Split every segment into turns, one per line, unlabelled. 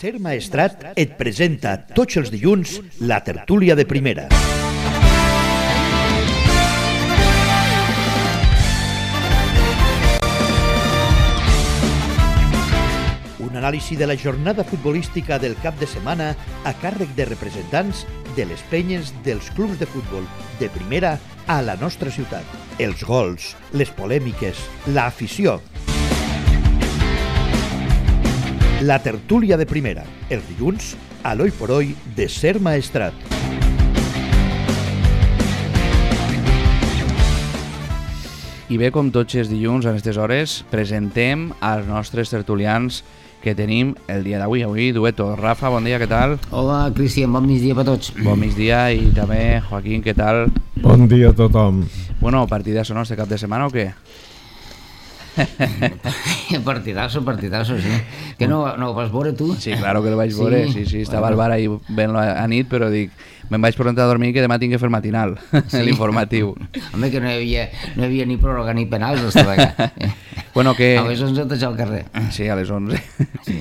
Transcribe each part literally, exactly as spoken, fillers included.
Ser Maestrat et presenta tots els dilluns la tertúlia de primera. Un anàlisi de la jornada futbolística del cap de setmana a càrrec de representants de les penyes dels clubs de futbol de primera a la nostra ciutat. Els gols, les polèmiques, l'afició. La tertúlia de primera, els dilluns, a l'Oi por Oi de Ser Maestrat.
I bé, com tots els dilluns a aquestes hores, presentem als nostres tertulians que tenim el dia d'avui. Avui, dueto. Rafa, bon dia, què tal?
Hola, Cristian, bon migdia per tots.
Bon migdia, i també Joaquín, què tal?
Bon dia a tothom.
Bueno, partidazo, no?, este cap de setmana o què?
Partidazo, partidazo, sí. Que no, no ho vas veure tu?
Sí, claro que lo vaig veure, sí, sí, estava al bar ahí ben a nit, però dic, me'n vaig preguntar a dormir que demà tinc que fer matinal, sí. L'informatiu.
Home, que no hi havia, no hi havia ni pròrroga ni penals, estava allà.
Bueno, que...
A les onze t'haig al carrer.
Sí, a les onze. Sí.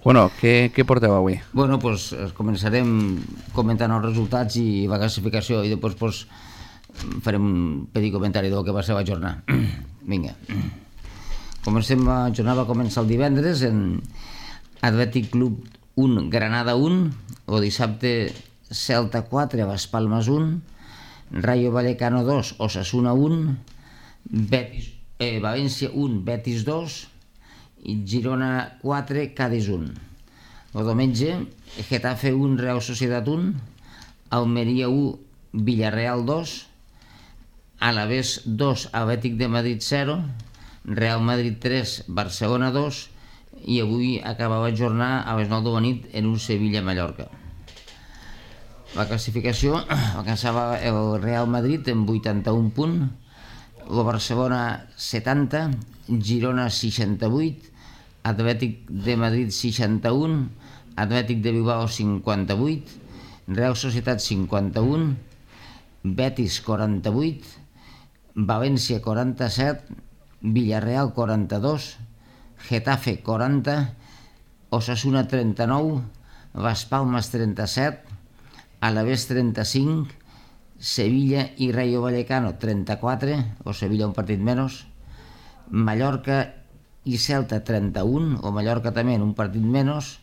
Bueno, què, què porteu avui?
Bueno, doncs pues, començarem comentant els resultats i la classificació, i després pues, farem un petit comentari del que va ser la jornada. Vinga. Comencem la jornada, va començar el divendres en Atlètic Club un, Granada un, o dissabte Celta quatre, Las Palmas un, Rayo Vallecano dos, Osasuna un, Betis, eh, València un, Betis dos, i Girona quatre, Cádiz un. El diumenge, Getafe un, Real Societat un, Almeria un, Villarreal dos, Alavés dos, Atlètic de Madrid zero, Real Madrid tres, Barcelona dos, i avui acabava de jornar a les nou de la nit en un Sevilla-Mallorca. La classificació alcançava el Real Madrid en vuitanta-un punts, el Barcelona setanta, Girona seixanta-vuit, Atlètic de Madrid seixanta-un, Atlètic de Bilbao cinquanta-vuit, Real Societat cinquanta-un, Betis quaranta-vuit, València quaranta-set, Villarreal quaranta-dos, Getafe quaranta, Osasuna trenta-nou, Las Palmas trenta-set, Alavés trenta-cinc, Sevilla i Rayo Vallecano trenta-quatre, o Sevilla un partit menys, Mallorca i Celta trenta-un, o Mallorca també en un partit menys,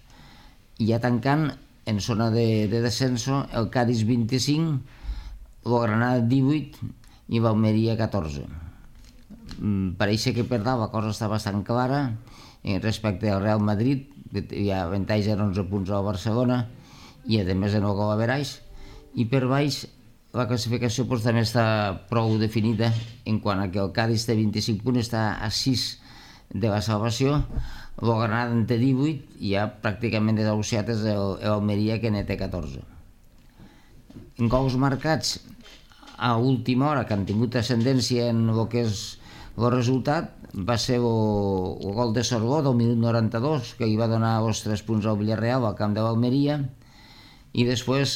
i ja tancant en zona de, de descenso el Cádiz vint-i-cinc, el Granada divuit i l'Almeria catorze. Pareix que per dalt la cosa està bastant clara respecte al Real Madrid, hi ha avantatge en onze punts al Barcelona i a més de nou gol average, i per baix la classificació pues, també està prou definida en quant a que el Cádiz té vint-i-cinc punts, està a sis de la salvació, el Granada en té divuit i ja pràcticament desahuciat és l'Almeria que en té catorze. En gols marcats a última hora que han tingut ascendència en el que és el resultat va ser el, el gol de Sorgó del minut noranta-dos, que hi va donar els tres punts al Villarreal al camp de l'Almeria, i després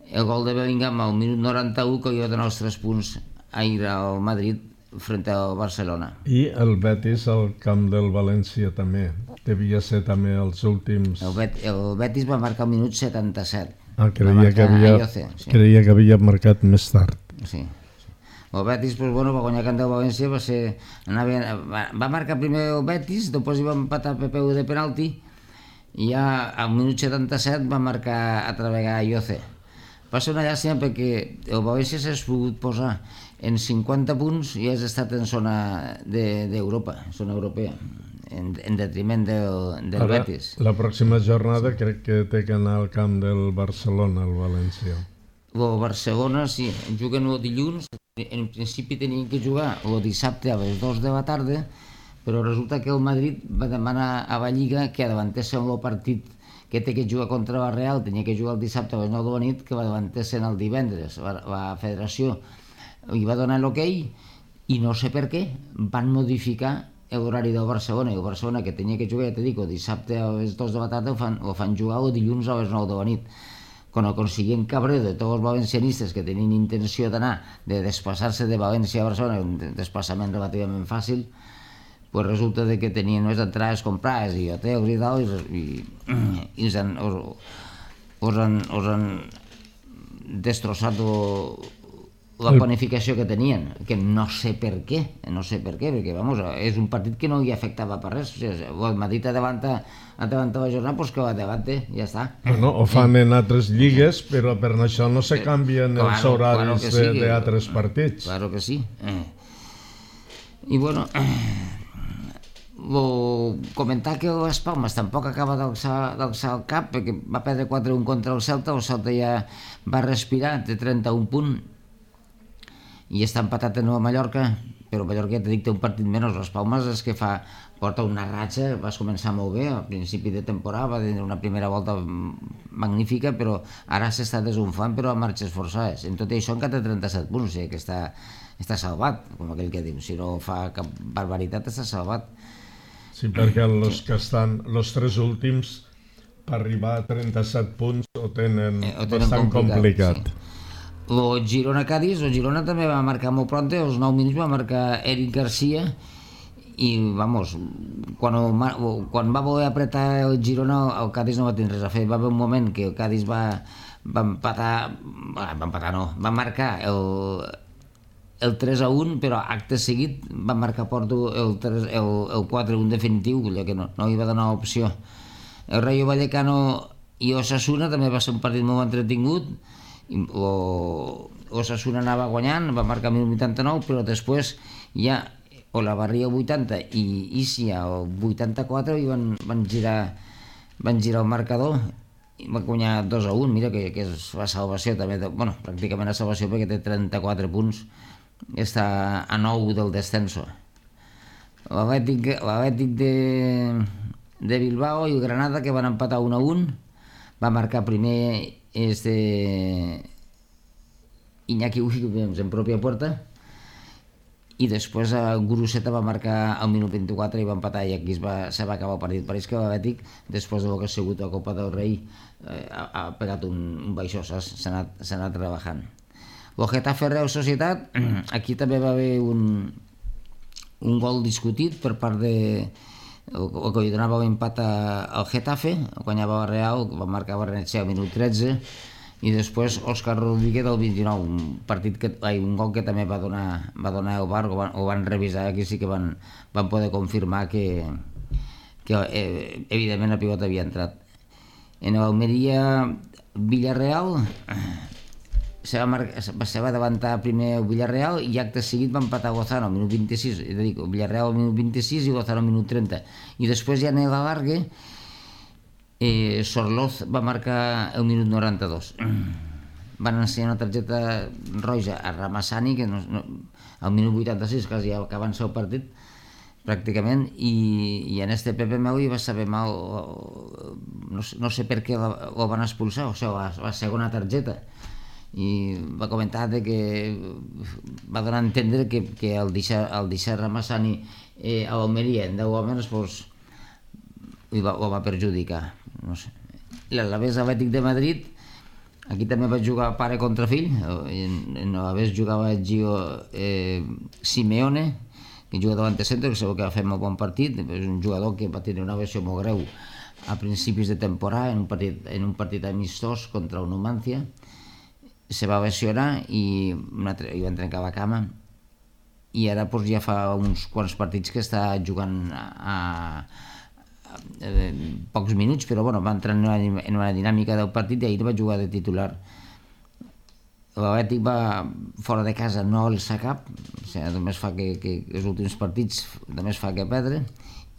el gol de Bellingham al minut noranta-u, que hi va donar els tres punts ahir al Madrid frente al Barcelona.
I el Betis al camp del València també, devia ser també els últims...
El, Bet, el Betis va marcar al minut setanta-set.
Ah, creia que havia, Ayoce, sí. creia que havia marcat més tard.
Sí. El Betis, pues, bueno, va guanyar camp del València, va, ser, anava, va, va marcar primer el Betis, després hi va empatar P P U de penalti, i ja al minut setanta-set va marcar a treballar Ayoce. Va ser una llàstima perquè el València s'ha pogut posar en cinquanta punts i has estat en zona d'Europa, de, zona europea, en, en detriment del, del
Ara,
Betis.
La pròxima jornada crec que té que anar al camp del Barcelona, el València.
El Barcelona, sí, juguen el dilluns, en principi tenien que jugar el dissabte a les dues de la tarda, però resulta que el Madrid va demanar a la Lliga que davantessin el partit que té que jugar contra la Real, tenia que jugar el dissabte a les nou de la nit, que va davantessin el divendres. La, la federació hi va donar l'hoquei i no sé per què van modificar l'horari del Barcelona, i el Barcelona que tenia que jugar, ja t'he dit, el dissabte a les dues de la tarda ho fan, ho fan jugar el dilluns a les nou de la nit. Con el consiguient cabreo de tots els valencianistes que tenien intenció d'anar, de desplaçar-se de València a Barcelona, un desplaçament relativament fàcil, pues resulta de que tenien unes entrades comprades i hotels i tal, i, i, i us han, us, us han, us han destrossat o, la planificació que tenien, que no sé per què, no sé per què, perquè vamos, és un partit que no hi afectava per res. O sigui, el Madrid adavanta, adavanta la jornada, doncs que va davante, ja està.
Bueno, ho fan en altres lligues, però per això no se canvien
claro,
els horaris
claro sí,
d'altres partits.
Claro que sí. Eh. I bueno, eh, comentar que les Palmes tampoc acaba d'alçar el cap, perquè va perdre quatre a un contra el Celta, el Celta ja va respirar, té trenta-un punts, i està empatat de nou a Mallorca, però Mallorca ja t'he dit té un partit menys. Les Palmes és que fa, porta una ratxa, vas començar molt bé al principi de temporada, va tenir una primera volta magnífica, però ara s'està desunflant, però a marxes forçades. En tot això encara té trenta-set punts, o sigui que està, està salvat, com aquell que diu. Si no fa cap barbaritat, està salvat.
Sí, perquè els que estan, els tres últims, per arribar a trenta-set punts ho tenen, eh, ho tenen bastant complicat. complicat.
Sí. El Girona-Cádiz, el Girona també va marcar molt pronte, als nou minuts va marcar Eric Garcia i, vamos, quan, quan va voler apretar el Girona, el Cádiz no va tenir res a fer. Va haver un moment que el Cádiz va, va empatar, va empatar no, va marcar el, el tres a un, però acte seguit va marcar Porto el, el, el quatre a un definitiu, que no, no hi va donar opció. El Rayo Vallecano i Osasuna també va ser un partit molt entretingut. Osasuna anava guanyant, va marcar el vuitanta-nou, però després ja Olavarria al vuitanta i Isia al vuitanta-quatre i van, van, girar, van girar el marcador i van guanyar dos a un. Mira que, que és la salvació també, de, bueno, pràcticament la salvació perquè té trenta-quatre punts, està a nou del descenso. L'Atlètic de, de Bilbao i el Granada, que van empatar un a un, va marcar primer este Iñaki Williams en pròpia puerta i després el Guruceta va marcar al minut vint-i-quatre i va empatar i aquí es va, se va acabar el partit. Pareix que l'Atlètic, després del que ha sigut la Copa del Rei, eh, ha, ha pegat un, un baixó, saps? S'ha anat, s'ha anat rebajant. El Getafe Real Societat, aquí també va haver un, un gol discutit per part de el, el que li donava l'empat al Getafe, guanyava el Real, va marcar Barrenetxea al minut tretze i després Òscar Rodríguez del vint-i-nou, un partit que, ai, un gol que també va donar, va donar el bar, ho van, ho van revisar, aquí sí que van, van poder confirmar que, que eh, evidentment la pilota havia entrat. En l'Almeria Villarreal se va, marcar, se va davantar primer el Villarreal i acte seguit va empatar Lozano al minut vint-i-sis, és a dir, el Villarreal al minut vint-i-sis i Lozano al minut trenta, i després ja en l'alargue eh, Sorloz va marcar el minut noranta-dos. Van ensenyar una targeta roja a Ramassani, que no, no, al minut vuitanta-sis, quasi ja acabant el partit pràcticament, i, i en este Pepe Meu hi va saber mal, no, no sé per què ho van expulsar, o sigui, la, la segona targeta, i va comentar de que va donar a entendre que, que el deixar, el deixar Ramassani eh, a l'Almeria en deu homes pues, ho, va, ho va perjudicar, no sé. L'Alavés Atlètic de Madrid, aquí també va jugar pare contra fill, en, en l'Alavés jugava Gio eh, Simeone, que juga davant de centre, que segur que va fer molt bon partit, és un jugador que va tenir una versió molt greu a principis de temporada en un partit, en un partit amistós contra el Numancia, se va lesionar i, altre, i van trencar la cama i ara pues, ja fa uns quants partits que està jugant a, a, a, a pocs minuts, però bueno, va entrar en una, en una dinàmica del partit i ahir va jugar de titular. L'Atlètic va fora de casa, no alça cap, o sigui, només fa que, que els últims partits només fa que perdre,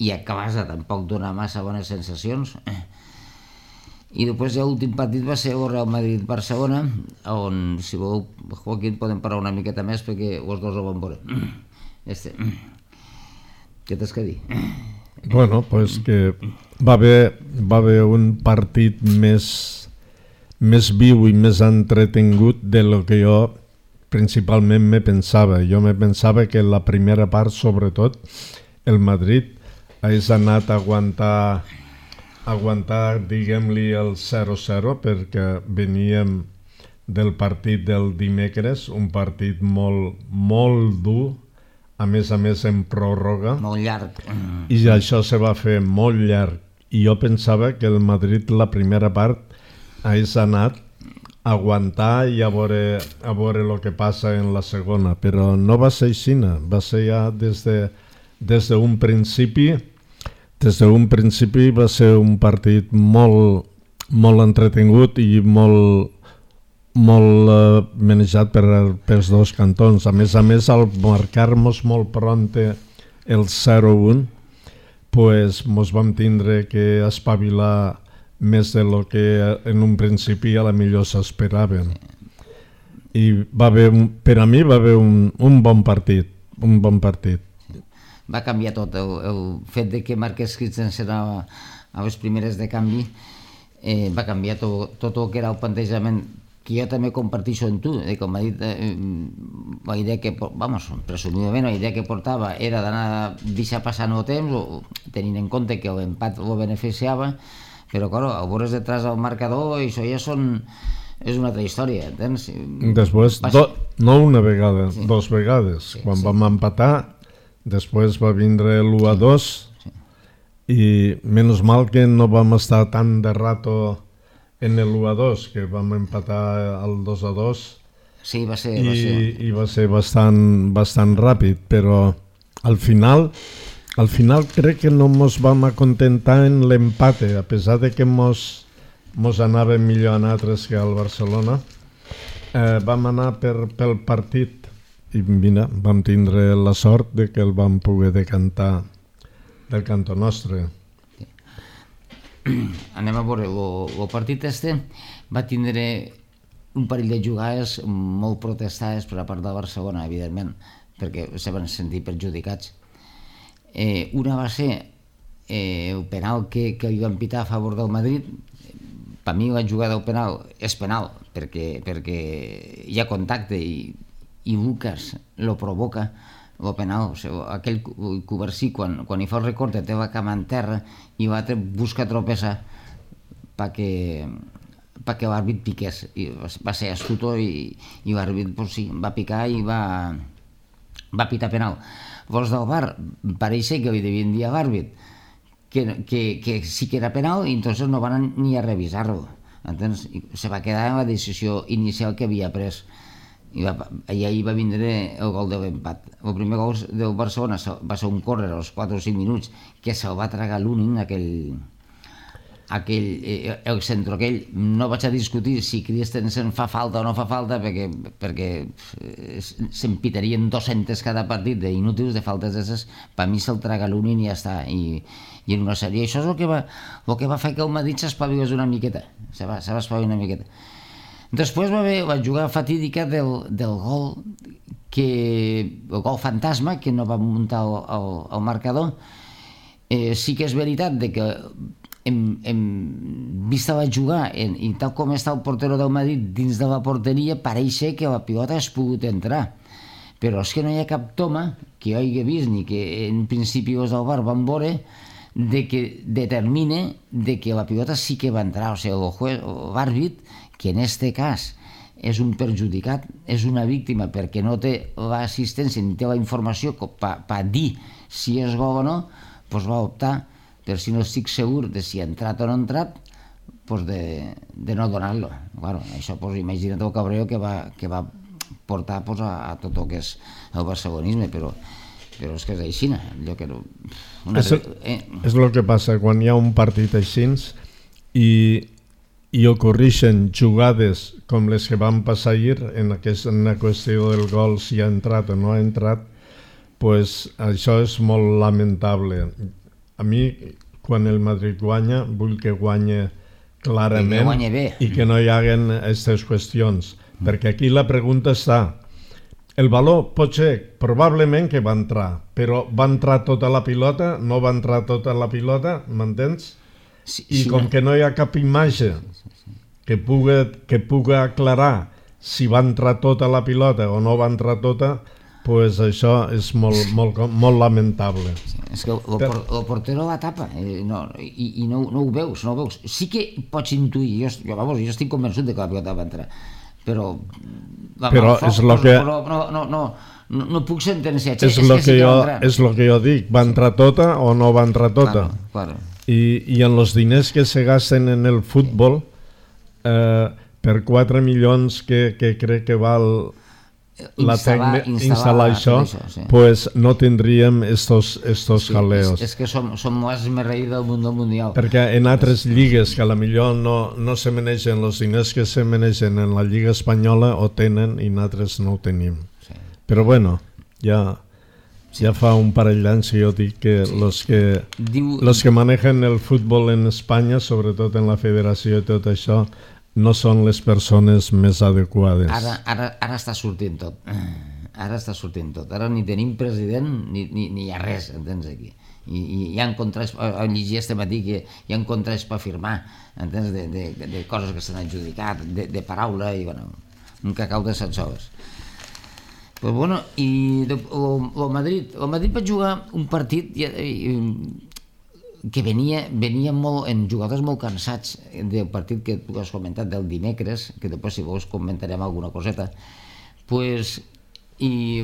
i a casa tampoc dona massa bones sensacions. I després l'últim partit va ser el Real Madrid-Barcelona, on, si voleu, Joaquín, podem parlar una miqueta més perquè els dos ho van veure. Este. Què tens que dir?
Bueno, pues que va haver, va haver un partit més, més viu i més entretingut de lo que jo principalment me pensava. Jo me pensava que la primera part, sobretot, el Madrid hagués anat a aguantar aguantar, diguem-li, el zero zero perquè veníem del partit del dimecres, un partit molt, molt dur a més a més en pròrroga,
molt llarg.
i això se va fer molt llarg. I jo pensava que el Madrid la primera part hagués anat a aguantar i a veure, a veure el que passa en la segona, però no va ser així, va ser ja des de, des d'un principi, des d'un principi va ser un partit molt, molt entretingut i molt, molt eh, manejat per, pels dos cantons. A més a més, al marcar-nos molt pronte el zero un, pues mos vam tindre que espavilar més de lo que en un principi a la millor s'esperaven. I va haver, un, per a mi va haver un, un bon partit, un bon partit.
Va canviar tot, el, el fet de que Marquès Christensen a, a les primeres de canvi eh, va canviar tot, tot el que era el plantejament, que jo també comparteixo en tu, eh, com ha dit, eh, la idea que, vamos, presumidament la idea que portava era d'anar deixar passar el temps, o, tenint en compte que l'empat ho beneficiava, però claro, a veure detrás del marcador, això ja són, és una altra història, entens?
Després, do, no una vegada, sí. dos vegades, sí, quan sí. vam empatar, després va vindre l'u a dos, sí. i menys mal que no vam estar tan de rato en el u a dos, que vam empatar el dos a dos,
sí, va ser,
i,
va ser.
i va ser bastant, bastant ràpid, però al final, al final crec que no ens vam acontentar en l'empate, a pesar de que mos, mos anava millor a nosaltres que al Barcelona, eh, vam anar per, pel partit i mira, vam tindre la sort de que el vam poder decantar del cantó nostre.
Anem a veure, el partit este va tindre un parell de jugades molt protestades per la part de Barcelona, evidentment, perquè se van sentir perjudicats. Eh, una va ser eh, el penal que, que hi van pitar a favor del Madrid. Per mi la jugada del penal és penal, perquè, perquè hi ha contacte i, i Lucas lo provoca, el penal, o sigui, aquell Covarsí quan, quan hi fa el recorte té la cama en terra i l'altre busca tropezar perquè, perquè l'àrbit piqués, i va ser astuto i, i l'àrbit pues, sí, va picar i va, va pitar penal. Vols del V A R pareix que li devien dir a l'àrbit que, que, que sí que era penal i entonces no van ni a revisar-lo, entens? I se va quedar en la decisió inicial que havia pres. I va, i ahir va vindre el gol de l'empat. El primer gol del Barcelona va ser un córrer als quatre o cinc minuts que se'l va tragar l'únic, aquell, aquell, eh, el centro aquell. No vaig a discutir si Christensen fa falta o no fa falta perquè, perquè s'empitarien dos-centes cada partit d'inútils, de faltes d'esses. Per mi se'l traga l'únic i ja està. I, i en una sèrie. Això és el que va, el que va fer que el Madrid s'espavilés una miqueta. Se va, se va espavilar una miqueta. Després va haver la jugada fatídica del, del gol, que, el gol fantasma, que no va muntar el, el, el marcador. Eh, sí que és veritat de que hem, hem vist la jugada en, i tal com està el portero del Madrid dins de la porteria, pareix que la pilota has pogut entrar. Però és que no hi ha cap toma que jo hagi vist ni que en principi els del V A R van veure de que determine de que la pilota sí que va entrar. O sigui, l'àrbit, que en este cas és un perjudicat, és una víctima perquè no té l'assistència ni té la informació per pa dir si és gol o no, doncs va optar, per si no estic segur de si ha entrat o no ha entrat, doncs de, de no donar-lo. Claro, això, doncs, imagina't el cabreo que va, que va portar doncs, a, a tot el que és el barcelonisme, però, però és que és així. Allò que no, una...
és, eh? és el que passa quan hi ha un partit així i i ocorreixen jugades com les que van passar ahir en aquesta qüestió del gol, si ha entrat o no ha entrat, pues això és molt lamentable. A mi, quan el Madrid guanya, vull que guanye clarament
que guanye bé.
I que no hi haguen aquestes qüestions, mm. perquè aquí la pregunta està, el valor pot ser probablement que va entrar, però va entrar tota la pilota, no va entrar tota la pilota, m'entens? Sí, I sí, com no. que no hi ha cap imatge que pugui, que pugui aclarar si va entrar tota la pilota o no va entrar tota, pues això és molt, molt, molt lamentable.
Sí, és que el, el, el portero la tapa eh, no, i, i no, no ho veus, no ho veus. Sí que pots intuir, jo, jo, vamos, jo estic convençut de que la pilota va entrar, però...
Però és el que...
Però no, no, no, no, no puc sentenciar.
És el que, jo, és lo que jo dic, va entrar tota o no va entrar tota.
Claro, claro.
I, I en els diners que se gasten en el futbol, eh, per quatre milions que, que crec que val la tècnica, instal·lar això, això sí. Pues no tindríem estos, estos sí, jaleos.
És, és que som, som més merreí del món mundial.
Perquè en altres lligues que a la millor no, no se manegen els diners que se manegen en la Lliga Espanyola o tenen i nosaltres no ho tenim. Sí. Però bueno, ja, sí. ja fa un parell d'anys que jo dic que sí. los que Diu... los que manejen el futbol en Espanya, sobretot en la federació i tot això, no són les persones més adequades. Ara,
ara, ara està sortint tot. Ara està sortint tot. Ara ni tenim president ni, ni, ni hi ha res, entens, aquí. I, i hi ha contrats, ho llegia este matí que hi ha contrats per firmar, entens, de, de, de coses que s'han adjudicat, de, de paraula, i bueno, un cacau de set soles. Pues bueno, i o, o Madrid, o Madrid va jugar un partit i, i, que venia, venia molt, en jugadors molt cansats del partit que tu has comentat del dimecres, que després si vols comentarem alguna coseta, pues, i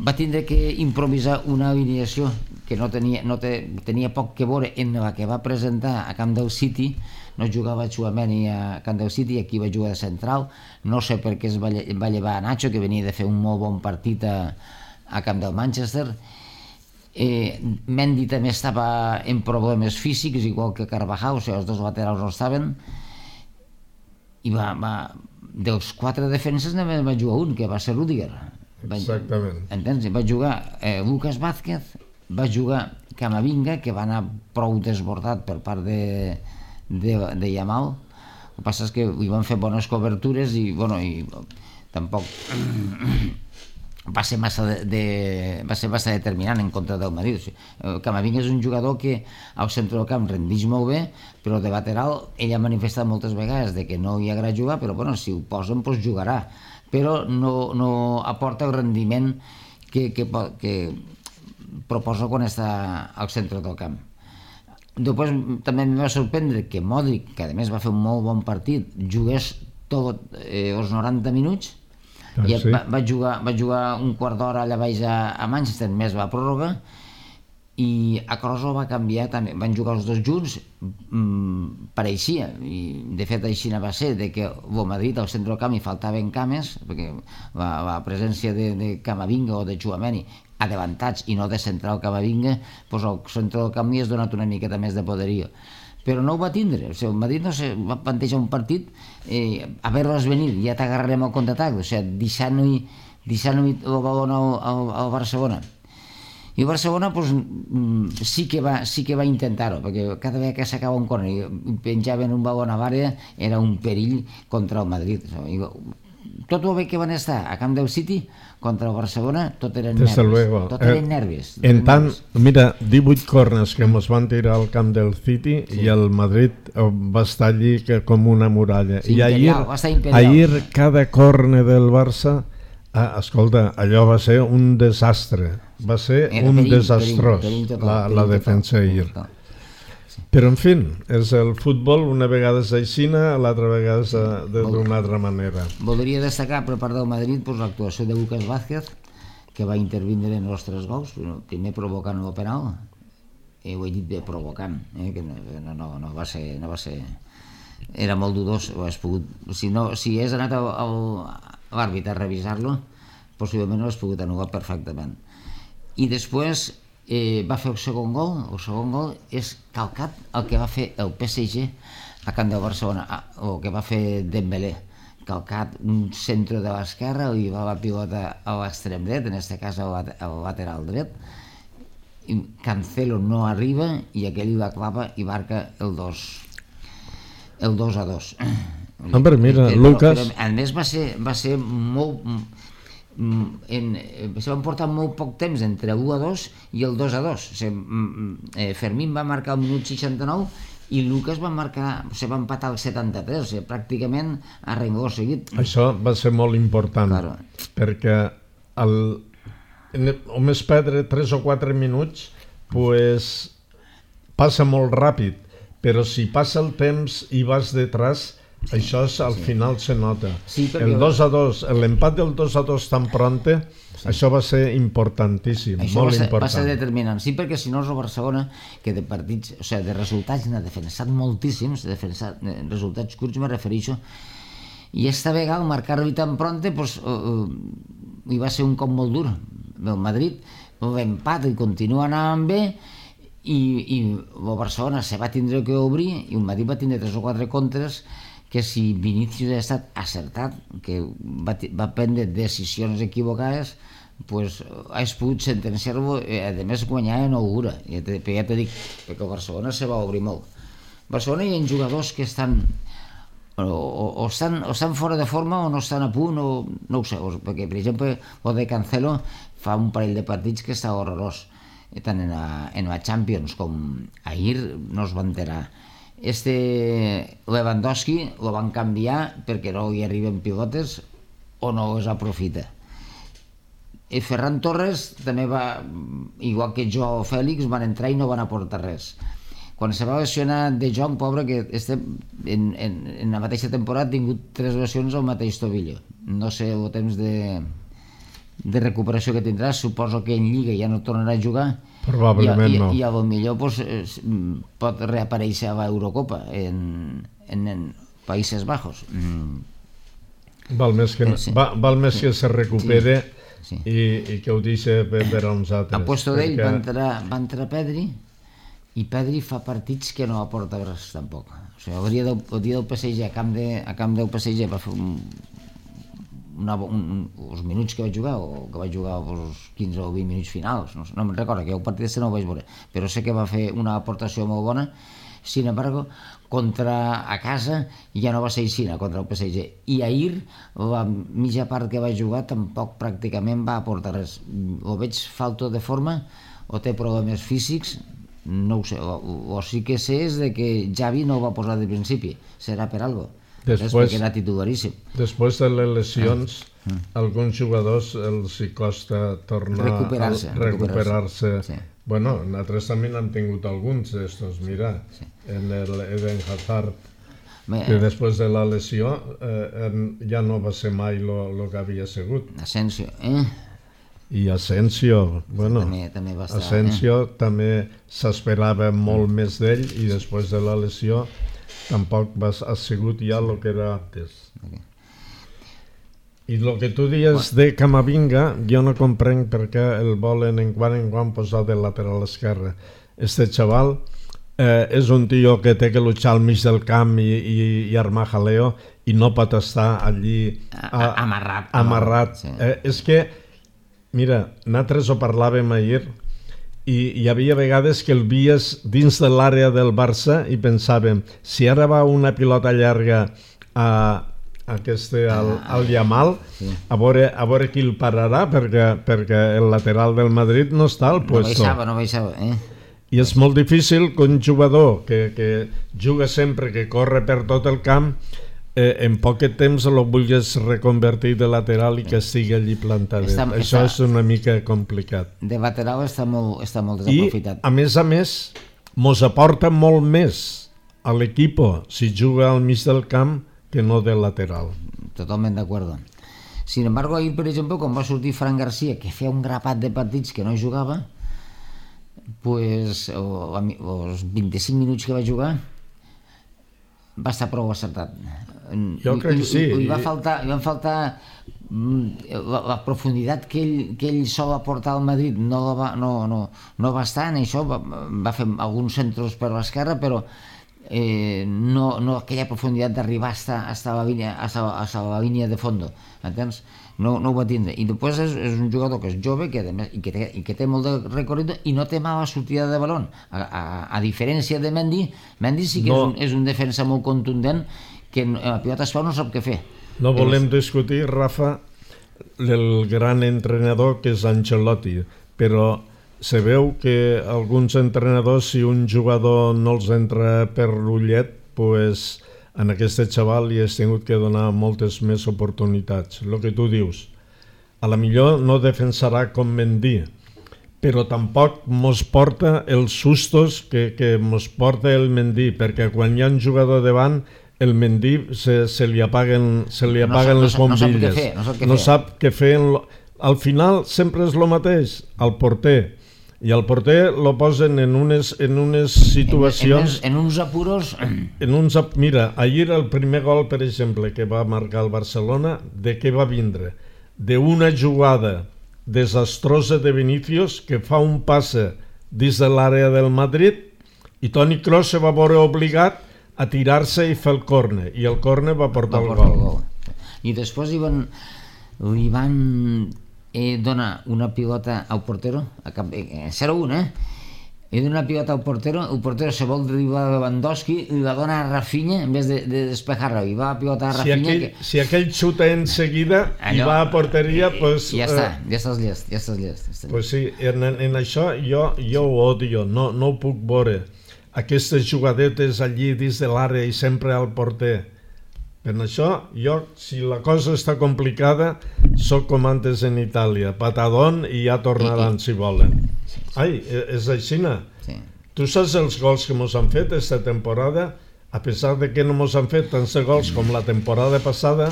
va tindre que improvisar una alineació que no tenia, no te, tenia poc que veure en la que va presentar a Camp del City. No jugava Tchouaméni a Camp del City, aquí va jugar de central, no sé per què es va, va llevar a Nacho, que venia de fer un molt bon partit a, a Camp del Manchester. Eh, Mendy també estava en problemes físics, igual que Carvajal, o sigui, els dos laterals no estaven, i va, va, dels quatre defenses només va jugar un, que va ser Rüdiger.
Exactament.
Entens? Va jugar eh, Lucas Vázquez, va jugar Camavinga, que va anar prou desbordat per part de, de, de Yamal. El que passa és que li van fer bones cobertures i, bueno, i tampoc... va ser massa de, de, va ser massa determinant en contra del Madrid. O sigui, Camavinga és un jugador que al centre del camp rendeix molt bé, però de lateral ell ha manifestat moltes vegades de que no hi agrada jugar, però bueno, si ho posen doncs jugarà, però no, no aporta el rendiment que, que, que proposa quan està al centre del camp. Després també em va sorprendre que Modric, que a més va fer un molt bon partit, jugués tot eh, els noranta minuts. Ah, sí? va, va, jugar, va jugar un quart d'hora allà baix a, a Manchester, més va pròrroga, i a Kroos va canviar també, van jugar els dos junts, mmm, pareixia, i de fet així va ser, de que a Madrid al centre del camp hi faltaven cames, perquè la, la presència de, de Camavinga o de Tchouaméni adelantats i no de central Camavinga, doncs al centre del camp li has donat una miqueta més de poderia. Però no ho va tindre. O sigui, el Madrid no se va plantejar un partit eh, a veure-les venir, ja t'agarrarem al contraatac, o sigui, deixant-hi deixant el balón al, al, al Barcelona. I el Barcelona pues, sí, que va, sí que va intentar-ho, perquè cada vegada que s'acaba un córner i penjaven un balón a l'àrea era un perill contra el Madrid. O sigui, tot el bé que van estar a Camp del City contra el Barcelona, tot eren nervis.
Luego.
Tot eren eh, nervis. Tot
en tant,
nervis.
Mira, divuit corners que ens van tirar al Camp del City, sí. I el Madrid va estar allí que, com una muralla. Sí, I imperial, ahir, ahir cada corner del Barça, ah, escolta, allò va ser un desastre. Va ser Era un perill, desastrós, perill, perill total, la, perill la defensa total, ahir. Total. Però, en fi, és el futbol, una vegada és aixina, l'altra vegada és d'una altra manera.
Voldria destacar, per part del Madrid, pues, l'actuació de Lucas Vázquez, que va intervindre en els tres gols, primer provocant el penal, eh, ho he dit bé, provocant, eh, que no, no, no, va ser, no va ser... Era molt dudós, ho has pogut... Si, no, si hagués anat al, al, a l'àrbitre a revisar-lo, possiblement ho has pogut anul·lar perfectament. I després... Eh, va fer el segon gol, el segon gol és calcat el que va fer el P S G a Camp del Barcelona, o el que va fer Dembélé, calcat un centre de l'esquerra i va la pilota a l'extrem dret, en aquest cas al, al lateral dret, i Cancelo no arriba i aquell la clava i marca el dos el dos a dos.
Hombre, mira, però, Lucas...
Però, a més va ser, va ser molt... En, se van portar molt poc temps entre l'u a dos i el dos a dos. O sigui, eh, Fermín va marcar al minut seixanta-nou i Lucas va marcar, se va empatar al setanta-tres, o sigui, pràcticament a rengló seguit.
Això va ser molt important, claro. Perquè el, només perdre tres o quatre minuts pues, passa molt ràpid, però si passa el temps i vas detrás Això és, al
sí.
final se nota.
Sí, perquè...
El dos a dos, l'empat del dos a dos tan pronte, sí. Això va ser importantíssim,
això
molt
va ser,
important.
va ser determinant. Sí, perquè si no el Barcelona, que de partits, o sigui, de resultats n'ha defensat moltíssims, de defensat, de resultats curts me refereixo, i esta vegada al marcar-li tan pronte, pues, uh, uh, hi va ser un cop molt dur. El Madrid l'empat i continua anant bé, i, i el Barcelona se va tindre que obrir, i el Madrid va tindre tres o quatre contres, que si Vinícius ha estat acertat, que va, va prendre decisions equivocades, pues, has pogut sentenciar-lo, a més guanyar en augura, ja te, ja te dic, perquè el Barcelona se va obrir molt. A Barcelona hi ha jugadors que estan o, o, o, estan, o estan fora de forma o no estan a punt, o no ho sé, o, perquè per exemple el de Cancelo fa un parell de partits que està horrorós, tant en la, en la Champions com ahir no es va enterar. Este Lewandowski lo van canviar perquè no hi arriben pilotes o no es aprofita. I Ferran Torres també va, igual que Joao Fèlix, van entrar i no van aportar res. Quan se va lesionar De Jong, pobre, que este, en, en, en la mateixa temporada ha tingut tres lesions al mateix tobillo. No sé el temps de, de recuperació que tindrà, suposo que en Lliga ja no tornarà a jugar.
Probablement
I,
no.
I, i a lo millor pues, pot reaparèixer a l'Eurocopa en, en, en Països Bajos. Mm.
Val més que,
sí.
va, val més que se recupere
sí. Sí.
I, i que ho deixi per a uns altres.
A puesto d'ell
perquè...
va, entrar, va entrar Pedri, i Pedri fa partits que no aporta res tampoc. O sigui, el dia del, el dia del P S G, a camp, de, a camp del P S G va fer un, una, un, els minuts que vaig jugar, o que vaig jugar els quinze o vint minuts finals, no, no me'n recordo, que el partit no ho vaig veure, però sé que va fer una aportació molt bona. Sin embargo, contra a casa ja no va ser així, contra el P S G. I ahir, la mitja part que va jugar tampoc pràcticament va aportar res. O veig falta de forma, o té problemes físics, no ho sé, o, o sí que sé és de que Xavi no ho va posar de principi, serà per algo. Després, perquè era titularíssim.
Després de les lesions, ah. mm. alguns jugadors els hi costa tornar
recuperar-se.
a recuperar-se.
Sí.
Bueno, nosaltres també n'hem tingut alguns d'estos, mira, sí. En el Eden Hazard, Bé, que després de la lesió eh, ja no va ser mai el que havia sigut.
Asensio, eh?
I Asensio, bueno,
també, també va estar,
Asensio
eh?
també s'esperava molt més d'ell i després de la lesió tampoc va, ha sigut ja el que era antes. Okay. I el que tu dius de Camavinga, jo no comprenc per què el volen en quan en quan posar de lateral esquerre. Este xaval eh, és un tio que té que luchar al mig del camp i, i, i armar jaleo i no pot estar allí
a, amarrat.
amarrat.
Sí.
Eh, és que, mira, nosaltres ho parlàvem ahir i hi havia vegades que el vies dins de l'àrea del Barça i pensàvem, si ara va una pilota llarga a Aquest, al, al Yamal, sí. a, veure, a veure qui el pararà, perquè, perquè el lateral del Madrid no està al puesto.
No baixava, no baixava, eh?
I és molt difícil que un jugador que, que juga sempre, que corre per tot el camp, eh, en poc temps el vulguis reconvertir de lateral i que estigui allí plantadet. Està, Això està, és una mica complicat.
De lateral està molt, està molt desaprofitat.
I, a més a més, mos aporta molt més a l'equip si juga al mig del camp que no del lateral.
Totalment d'acord. Sin embargo, ahir, per exemple, quan va sortir Fran García, que feia un grapat de partits que no jugava, pues, o, els vint-i-cinc minuts que va jugar va estar prou acertat.
Jo crec que sí.
I, i va faltar, i va faltar la, la profunditat que ell, que ell sol aportar al Madrid, no, la va, no, no, no va estar en això, va, va fer alguns centres per l'esquerra, però Eh, no, no aquella profunditat d'arribar hasta, hasta, la línia, hasta, hasta la línia de fondo, entens? No, no ho va tindre. I després és, és un jugador que és jove que, i, que té, i que té molt de recorregut i no té mala sortida de baló. A, a, a diferència de Mendy, Mendy sí que no. és, un, és un defensa molt contundent que en la pilota es fa no sap què fer.
No volem és... discutir, Rafa, el gran entrenador que és Ancelotti, però se veu que alguns entrenadors, si un jugador no els entra per l'ullet, pues, en aquest xaval li has tingut que donar moltes més oportunitats. El que tu dius, a la millor no defensarà com Mendy, però tampoc mos porta els sustos que, que mos porta el Mendy, perquè quan hi ha un jugador davant el Mendy se, se li apaguen, se li
No
apaguen
sap- no
les
sap- no sap què
bombilles.
fer, no sap què
no
fer.
sap què fer. En lo- Al final sempre és el mateix, el porter. I el porter lo posen en unes, en unes situacions...
En, en, en uns apuros...
En uns, ap- mira, ahir el primer gol, per exemple, que va marcar el Barcelona, de què va vindre? D'una jugada desastrosa de Vinícius que fa un passe dins de l'àrea del Madrid i Toni Kroos se va veure obligat a tirar-se i fer el córner, i el córner va portar
va
el
portar
gol.
el gol. I després li van, li van eh, donar una pilota al portero, a cap, eh, zero a un, eh? Li dona una pilota al portero, el portero se vol driblar a Lewandowski i la dona a Rafinha en vez de, de despejar-la, i va a pilota a
Si
Rafinha...
aquell,
que...
si aquell xuta en seguida i
Allò,
va a porteria,
eh,
pues,
ja està,
eh,
ja estàs llest, ja estàs llest. Ja estàs
pues sí, en, en això jo, jo ho odio, no, no ho puc veure. Aquestes jugadetes allí dins de l'àrea i sempre al porter. Per això, jo, si la cosa està complicada, sóc com antes en Itàlia, patadón i ja tornaran si volen. Ai, és aixina.
Sí.
Tu saps els gols que mos han fet esta temporada? A pesar de que no mos han fet tants de gols com la temporada passada,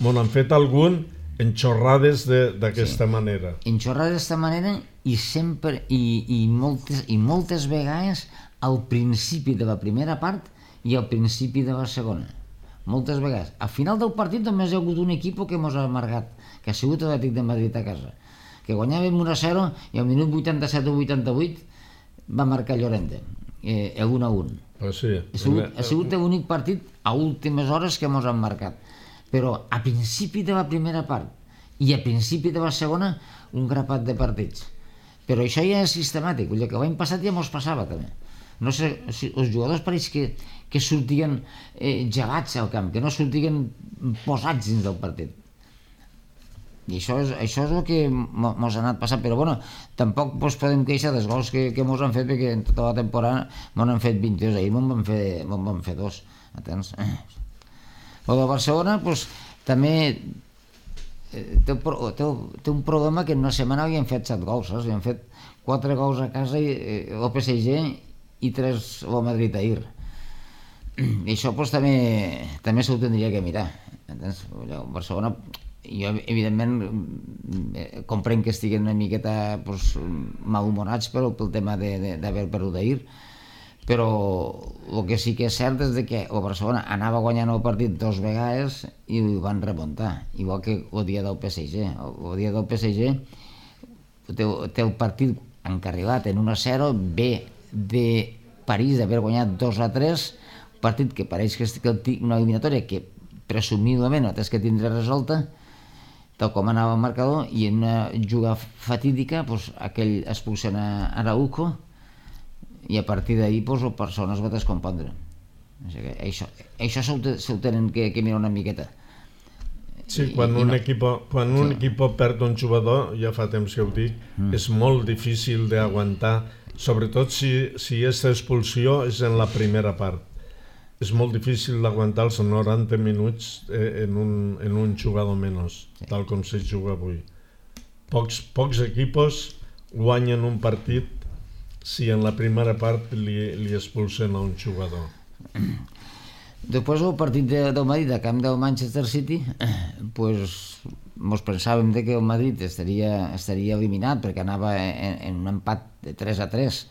mos han fet algun en xorrades d'aquesta sí. manera.
En xorrades d'esta manera i sempre, i, i, moltes, i moltes vegades al principi de la primera part i al principi de la segona. Moltes vegades. Al final del partit només hi ha hagut un equip que mos ha amargat, que ha sigut l'Atlètic de Madrid a casa, que guanyàvem un a zero i al minut vuitanta-set o vuitanta-vuit va marcar Llorente, eh, el un a un.
Pues sí.
Ha sigut, ha sigut l'únic partit a últimes hores que mos han marcat. Però a principi de la primera part i a principi de la segona, un grapat de partits. Però això ja és sistemàtic, vull dir que l'any passat ja mos passava també. No sé, si els jugadors pareix que, que sortien eh, gelats al camp, que no sortien posats dins del partit. I això és, això és el que mos ha anat passant, però bueno, tampoc pues, podem queixar dels gols que, que mos han fet, perquè en tota la temporada mos han fet vint-i-dos, ahir mos van fer, mos van fer dos, entens? El de Barcelona pues, també eh, té, té, té un problema que en una setmana havien fet set gols, saps? Havien fet quatre gols a casa i eh, el P S G i tres al Madrid ahir. I això pues, també, també s'ho tindria que mirar, entens? El Barcelona... Jo, evidentment, comprenc que estiguen una miqueta pues, malhumorats pel, pel tema d'haver perdut ahir, però el que sí que és cert és que el Barcelona anava guanyant el partit dos vegades i ho van remuntar, igual que el dia del P S G. El dia del P S G té, té el partit encarrilat en un a zero, ve de París d'haver guanyat dos a tres, partit que pareix que és una eliminatòria que presumiblement no tens que tindre resolta, tal com anava el marcador, i en una jugada fatídica pues, aquell expulsen a Araujo i a partir d'ahir pues, el persona es va descompondre. O sigui que això això s'ho tenen que, que mirar una miqueta.
Sí, quan
I,
un,
i no.
equip, quan un
Sí.
equip perd un jugador, ja fa temps que ho dic, mm. és molt difícil d'aguantar, sobretot si, si aquesta expulsió és en la primera part. És molt difícil d'aguantar els noranta minuts eh, en, un, en un jugador menys, sí. tal com se juga avui. Pocs, pocs equipos guanyen un partit si en la primera part li, li expulsen a un jugador.
Després del partit de, del Madrid a camp del Manchester City, pues, mos pensàvem de que el Madrid estaria, estaria eliminat perquè anava en, en un empat de tres a tres.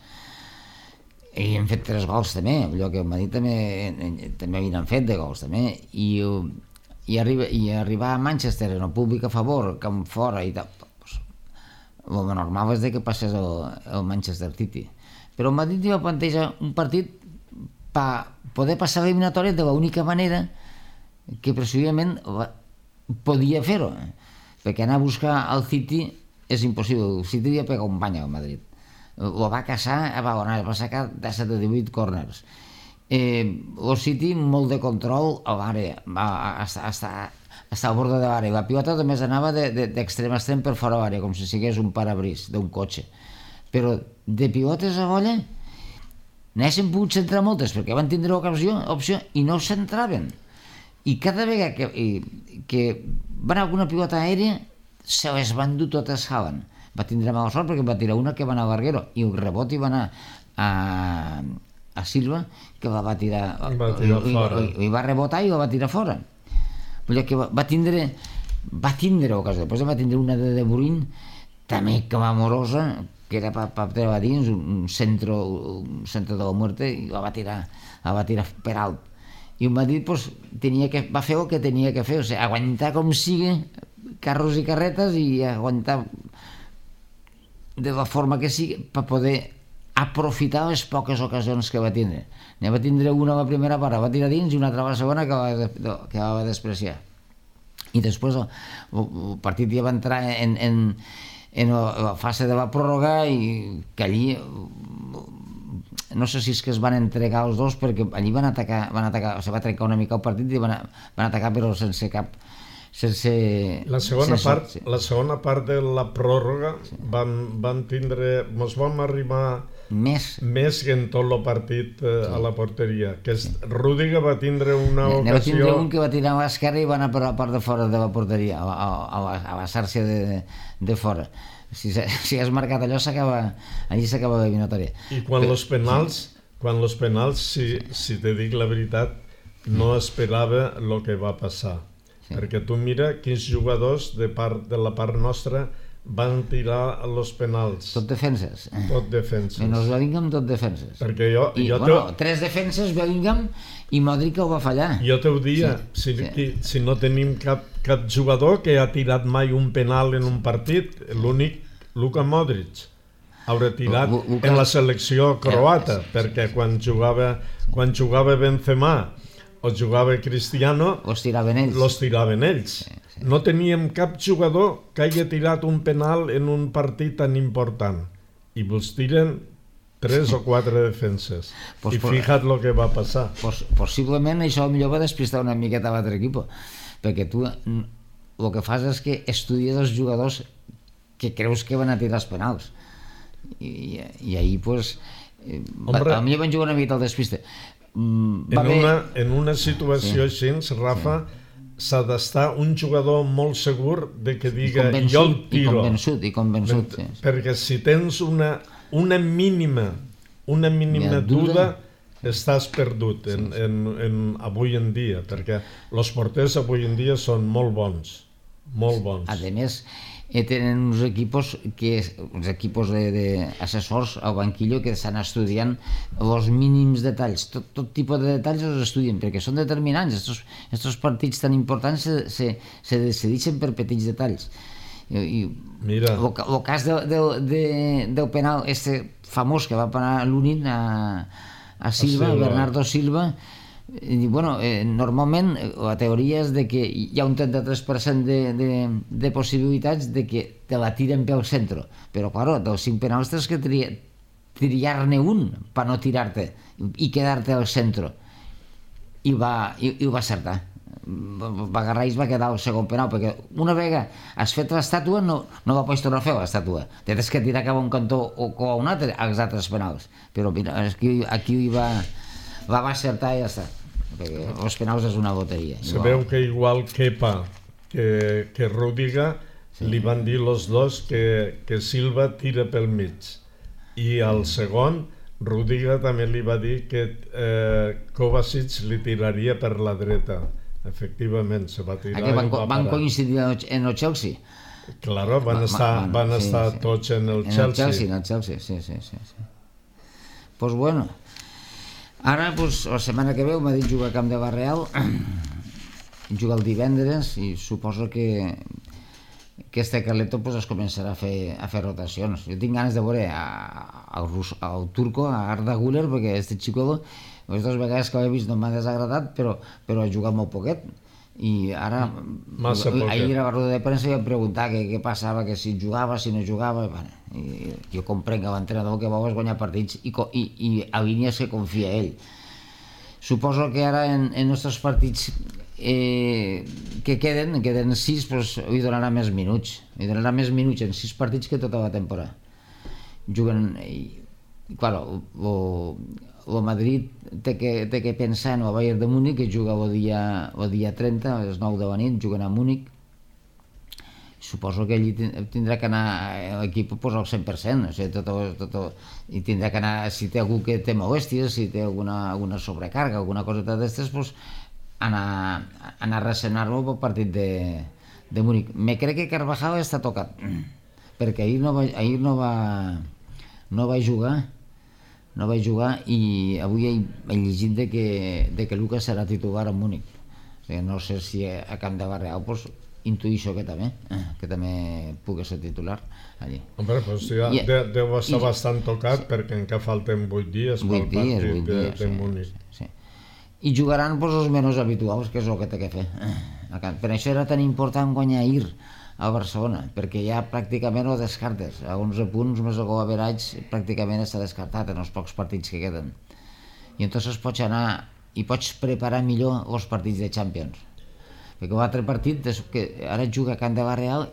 I hem fet tres gols també, allò que el Madrid també, també havien fet de gols també, i, i, arriba, i arribar a Manchester en el públic a favor, camp fora i tal, pues, el normal és de que passés el, el Manchester City. Però el Madrid va plantejar un partit per poder passar l'eliminatòria de l'única manera que presumiblement podia fer-ho, perquè anar a buscar el City és impossible, el City li ha pegat un bany al Madrid. Ho va caçar a Badalona, va sacar de set a divuit corners. Eh, el City, molt de control a l'àrea, va estar, estar, estar al bord de l'àrea. La pilota només anava d'extrem a extrem per fora de l'àrea, com si sigués un parabrís d'un cotxe. Però de pilotes a bolla n'haguessin pogut centrar moltes, perquè van tindre l'opció opció, i no centraven. I cada vegada que, i, que va anar alguna pilota aèria, se les van dur totes Haaland. Va tindre mala sort perquè va tirar una que va anar a Larguero i el rebot hi va anar a, a Silva, que la va tirar,
va tirar
i,
fora.
I, i va rebotar i la va tirar fora. Vull dir que va, va tindre va tindre ocasió, després va tindre una de De Bruyne també clamorosa, que era per pa, treure dins un centre, un centre de la muerte, i la va tirar, la va tirar per alt. I el Madrid pues, tenia que, va fer el que tenia que fer, o sigui, aguantar com sigui carros i carretes i aguantar de la forma que sigui per poder aprofitar les poques ocasions que va tindre. Ne va tindre una a la primera part, va tirar dins, i una altra a la segona que va, que va despreciar. I després el, el partit ja va entrar en, en, en la fase de la pròrroga, i que allí no sé si és que es van entregar els dos, perquè allí van atacar, van atacar, se va trencar una mica el partit i van, van atacar però sense cap sense...
La segona,
sense,
part,
sí.
la segona part de la pròrroga sí. van, van tindre, mos vam arribar
més,
més que en tot el partit eh,
sí.
a la porteria, que
sí.
Rüdiger va tindre una
ne,
ocasió...
Ne va tindre un que va tirar a l'esquerra i va anar per la part de fora de la porteria, a, a, a, a la xarxa de, de fora. Si, si has marcat allò, s'acaba, allí s'acaba l'eliminatòria.
I quan els penals, sí. quan els penals, si, si te dic la veritat, no esperava el que va passar. Sí. Perquè tu mira quins jugadors de, part, de la part nostra van tirar els penals.
Tot defenses.
Tot defenses.
Menys Bellingham, tot defenses.
Perquè jo...
I,
jo
bueno,
te...
tres defenses, Bellingham, i Modric ho va fallar.
Jo te ho dia, sí, si, sí. si no tenim cap, cap jugador que ha tirat mai un penal en un partit, l'únic, Luka Modric, haurà tirat Lu, Luka... en la selecció croata, sí, sí, perquè sí. quan jugava quan jugava Benzema o jugava Cristiano,
los tiraven ells.
Los tiraven ells. Sí, sí. No teníem cap jugador que hagi tirat un penal en un partit tan important. I vos tiren tres o quatre defenses. Pues I por... fíjate lo que va passar.
Pues, possiblement això millor va despistar una miqueta a l'altre equip, perquè tu el que fas és que estudies els jugadors que creus que van a tirar els penals. I, i ahir, pues, Hombre, va, a mi van jugar una miqueta al despiste.
Mm, en, haver... una, en una situació sí. així, Rafa, sí. s'ha d'estar un jugador molt segur de que diga jo el tiro.
I convençut, i convençut. Sí, sí.
Perquè si tens una, una mínima, una mínima duda, estàs perdut en, sí, sí. En, en, avui en dia, perquè els porters avui en dia són molt bons, molt bons.
A més, tenen uns equipos que uns equipos de, de assessors al banquillo que estan estudiant els mínims detalls, tot, tot tipus de detalls els estudien perquè són determinants. Estos, estos partits tan importants se, se, se decideixen per petits detalls. I, i
Mira,
el, el cas de, de, de, del penal este famós que va parar l'Unin a, a Silva, a Bernardo Silva. I, bueno, eh, normalment la teoria és de que hi ha un trenta-tres per cent de, de, de possibilitats de que te la tiren pel centre, però claro, dels cinc penals tens que triar, triar-ne un per no tirar-te i quedar-te al centre, i va, i, i ho va acertar. Va agarrar i va quedar el segon penal, perquè una vegada has fet l'estàtua no, no va pots tornar a fer l'estàtua, tens que tirar cap a un cantó o a un altre als altres penals, però mira, aquí, aquí va la va acertar i ja està, perquè els penals és una loteria.
Sabeu que igual Kepa que, que Rüdiger sí. li van dir els dos que, que Silva tira pel mig, i al segon Rüdiger també li va dir que eh, Kovacic li tiraria per la dreta. Efectivament, se va tirar.
Aquí van, va van coincidir en el Chelsea?
Claro, van va, estar, van, van sí, estar sí. tots en el
en
Chelsea.
El Chelsea, en el Chelsea, sí, sí, sí. sí. Pues bueno, ara, pues, la setmana que ve m'ha dit jugar a Camp de Barreal, jugar el divendres, i suposo que que este Carleto pues, es començarà a fer, a fer rotacions. Jo tinc ganes de veure al turco, a Arda Güler, perquè este xico, les dues vegades que l'he vist no m'ha desagradat, però, però ha jugat molt poquet. I ara,
Massa
ahir a la roda de premsa vam preguntar què, què passava, que si jugava, si no jugava. Bueno, i jo comprenc que l'entrenador que vol és guanyar partits i, i, i a línies que confia ell. Suposo que ara en, en nostres partits eh, que queden, queden sis, doncs li donarà més minuts. Li donarà més minuts en sis partits que tota la temporada. Juguen... I, claro, el Madrid té que, té que pensar en el Bayern de Múnich, que juga el dia, el dia trenta, a les nou de la nit, juguen a Múnich. suposo que ell tindrà que anar a l'equip pues, al cent per cent, o sigui, tot, tot, i tindrà que anar, si té algú que té molèsties, si té alguna, alguna sobrecàrrega, alguna cosa d'aquestes, pues, anar, anar a ressenar-lo pel partit de, de Múnich. Me crec que Carvajal està tocat, perquè ahir no va, ahir no va, no va jugar, no va jugar i avui he, he llegit de que, de que Lucas serà titular a Múnich. O sigui, no sé si a Camp de Barreal pues, intuïixo que també, que també pugui ser titular allí.
Hombre, pues ja I, de, deu estar i, bastant tocat sí. perquè encara falten vuit dies pel partit de, dies, de Múnich.
Sí, sí. I jugaran pues, els menys habituals, que és el que té que fer. Per això era tan important guanyar ahir al Barcelona, perquè ja pràcticament ho descartes. A onze punts més el gol average pràcticament està descartat en els pocs partits que queden. I entonces pots anar i pots preparar millor els partits de Champions. Perquè l'altre partit, que ara juga a Camp de Barreal,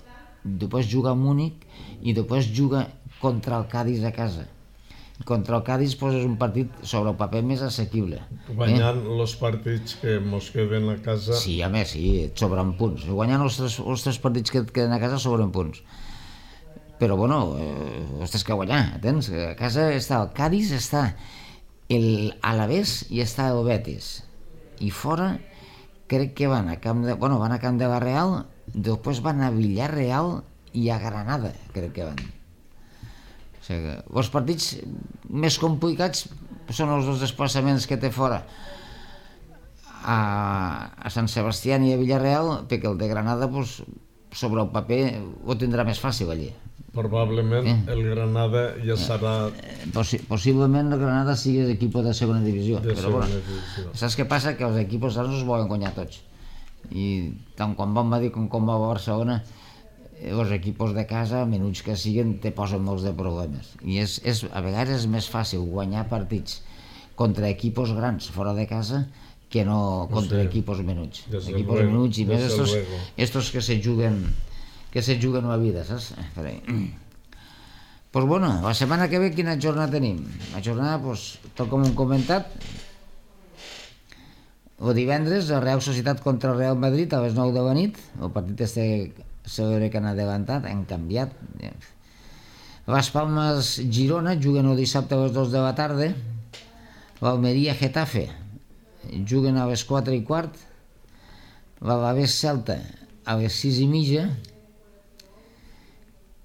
després juga a Múnich i després juga contra el Cádiz a casa. Contra el Cádiz pues, és un partit sobre el paper més assequible.
Guanyant eh? els partits que mos queden a casa...
Sí, a més, sí, sobren punts. Guanyant els tres, els tres partits que et queden a casa sobren punts. Però, bueno, eh, els tens que guanyar, entens? A casa està el Cádiz, està el Alavés i està el Betis. I fora, crec que van a Camp de, bueno, van a Camp de Barreal, després van a Villarreal i a Granada, crec que van. O sigui, els partits més complicats són els dos desplaçaments que té fora a, a Sant Sebastià i a Villarreal, perquè el de Granada pues, sobre el paper ho tindrà més fàcil allí.
Probablement eh? el Granada ja serà...
Possi possiblement el Granada sigui l'equip de segona divisió,
de
però
segona
bueno,
divisió.
Saps què passa? Que els equips grans es volen guanyar tots, i tant quan va a Madrid com quan va a Barcelona els equips de casa, menuts que siguen, te posen molts de problemes. I és, és, a vegades és més fàcil guanyar partits contra equips grans fora de casa que no contra sí. equips menuts. Equips luego, menuts i més estos, estos que se juguen que se juguen la vida, saps? Pues bueno, la setmana que ve quina jornada tenim? La jornada, pues, tot com hem comentat, el divendres, la Real Societat contra el Real Madrid a les nou de la nit, el partit este segur que han adelantat, han canviat. Las Palmas Girona juguen el dissabte a les dues de la tarda, l'Almeria Getafe juguen a les quatre i quart, l'Alavés Celta a les sis i mitja,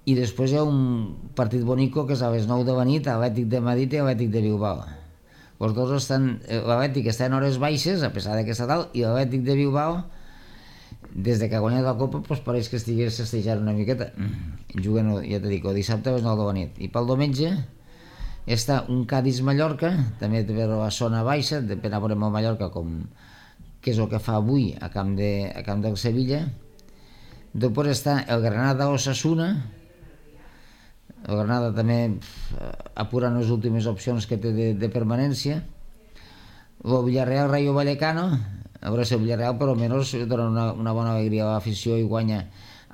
i després hi ha un partit bonico que és a les nou de la nit, Atlètic de Madrid i Atlètic de Bilbao. Els dos estan, l'Atlètic està en hores baixes, a pesar que està dalt, i l'Atlètic de Bilbao, des de que ha guanyat la Copa, doncs pareix que estigués festejant una miqueta. Juguen, ja t'he dit, el dissabte a les nou de la nit. I pel diumenge està un Cádiz-Mallorca, també té la zona baixa, depèn a veure amb el Mallorca, com, que és el que fa avui a camp, de, a camp del Sevilla. Després està el Granada-Osasuna, el Granada també apurant les últimes opcions que té de, de permanència. El Villarreal-Rayo Vallecano, a veure si el Villarreal per almenys dona una, una bona alegria a l'afició i guanya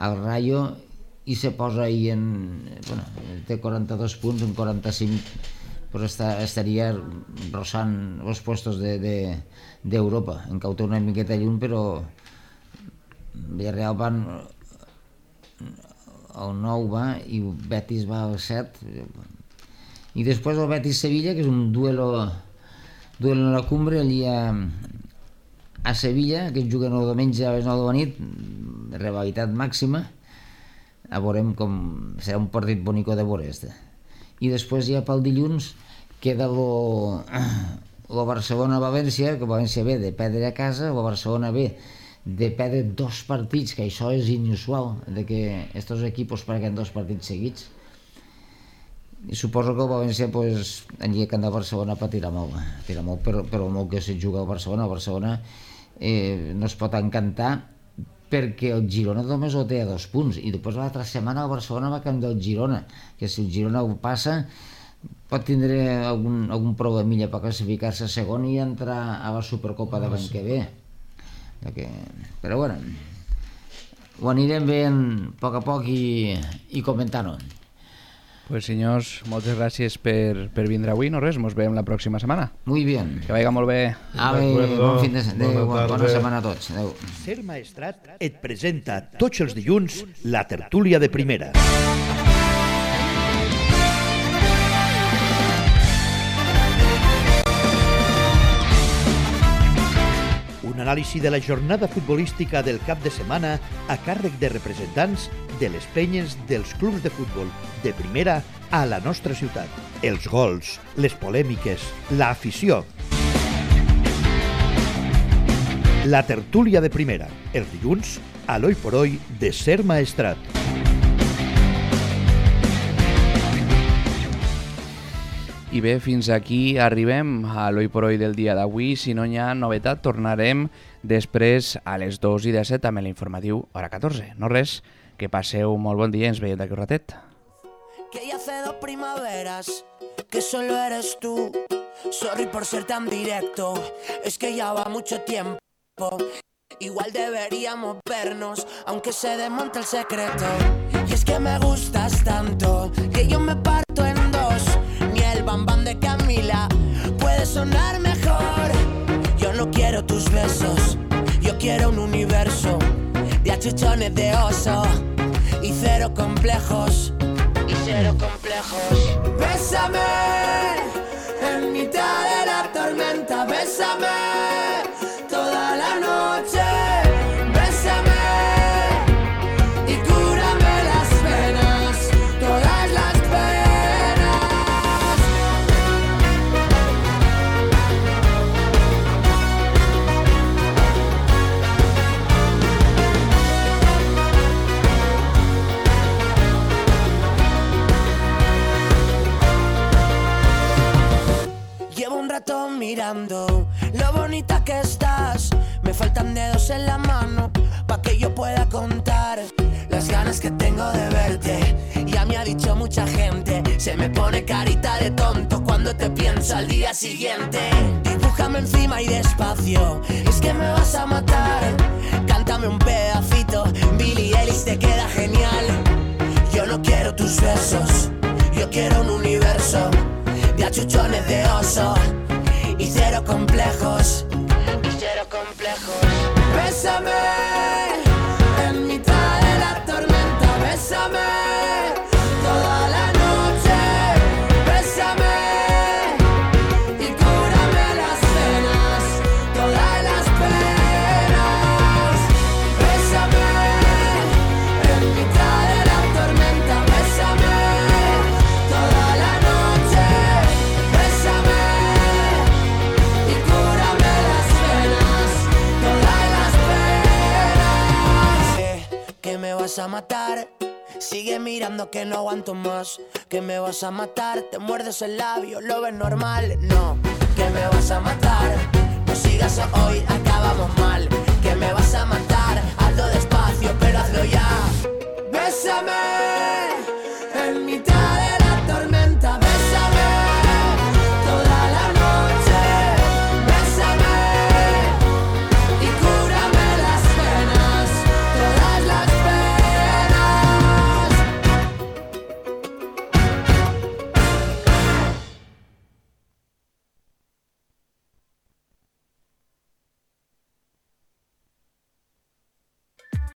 el Rayo i se posa ahí en... Bueno, té quaranta-dos punts, en quaranta-cinc, però està, estaria rossant els puestos d'Europa, de, de, en cau té una miqueta lluny, però Villarreal van... el nou va i Betis va al set, i després el Betis-Sevilla, que és un duelo duelo en la cumbre allí a, a Sevilla, que juguen el diumenge a les nou de la nit, rivalitat màxima, a veurem com serà un partit bonico de veure este. I després ja pel dilluns queda lo, lo Barcelona-València, que València ve de perdre a casa, el Barcelona ve de perdre dos partits, que això és inusual, de que estos equipos perden dos partits seguits. I suposo que el València, pues, allí a Camp de Barcelona patirà molt, patirà molt, però, però molt que se juga al Barcelona. El Barcelona eh, no es pot encantar perquè el Girona només ho té a dos punts, i després l'altra setmana el Barcelona va a Camp del Girona, que si el Girona ho passa pot tindre algun, algun problemilla per classificar-se segon i entrar a la Supercopa de l'any que ve. Que, però bueno, ho anirem veient a poc a poc i, i comentant-ho.
Pues senyors, moltes gràcies per, per vindre avui, no res, mos veiem la pròxima setmana.
Muy bien.
Que vagi molt bé.
Ave, bon fin de setmana, bona, bona setmana a tots. Adéu.
Ser Maestrat et presenta tots els dilluns la tertúlia de primera. Un anàlisi de la jornada futbolística del cap de setmana a càrrec de representants de les penyes dels clubs de futbol de primera a la nostra ciutat. Els gols, les polèmiques, l'afició. La tertúlia de primera, els dilluns, a l'Oi por Hoy de Ser Maestrat.
I bé, fins aquí arribem a l'Oi por Hoy del dia d'avui. Si no hi ha novetat, tornarem després a les dos i disset amb l'informatiu hora catorze. No res, que passeu molt bon dia i ens veiem d'aquí un ratet.
Que ya hace dos primaveras que solo eres tú. Sorry por ser tan directo, es que ya va mucho tiempo. Igual deberíamos vernos, aunque se desmonte el secreto. Y es que me gustas tanto, que yo me parto en dos. Ni el bambán de Camila puede sonar mejor. Yo no quiero tus besos, yo quiero un universo de achuchones de oso y cero complejos, y cero complejos. Bésame en mitad de la tormenta, bésame toda la noche, bésame y cúrame las penas, todas las penas. Llevo un rato mirando lo bonita que estás. Me faltan dedos en la mano pa' que yo pueda contar las ganas que tengo de verte. Ya me ha dicho mucha gente, se me pone carita de tonto cuando te pienso al día siguiente. Dibújame encima y despacio, es que me vas a matar. Cántame un pedacito, Billie Eilish te queda genial. Yo no quiero tus besos, yo quiero un universo de achuchones de oso y cero complejos, y cero complejos. Bésame en mitad de la tormenta, bésame toda la noche, bésame y cúrame las penas, todas las penas. Bésame en mitad de la tormenta, bésame toda la noche, bésame y cúrame las penas, todas las penas. Sé que me vas a matar, sigue mirando que no aguanto más. Que me vas a matar, te muerdes el labio, lo ves normal. No, que me vas a matar, no sigas hoy, acabamos mal.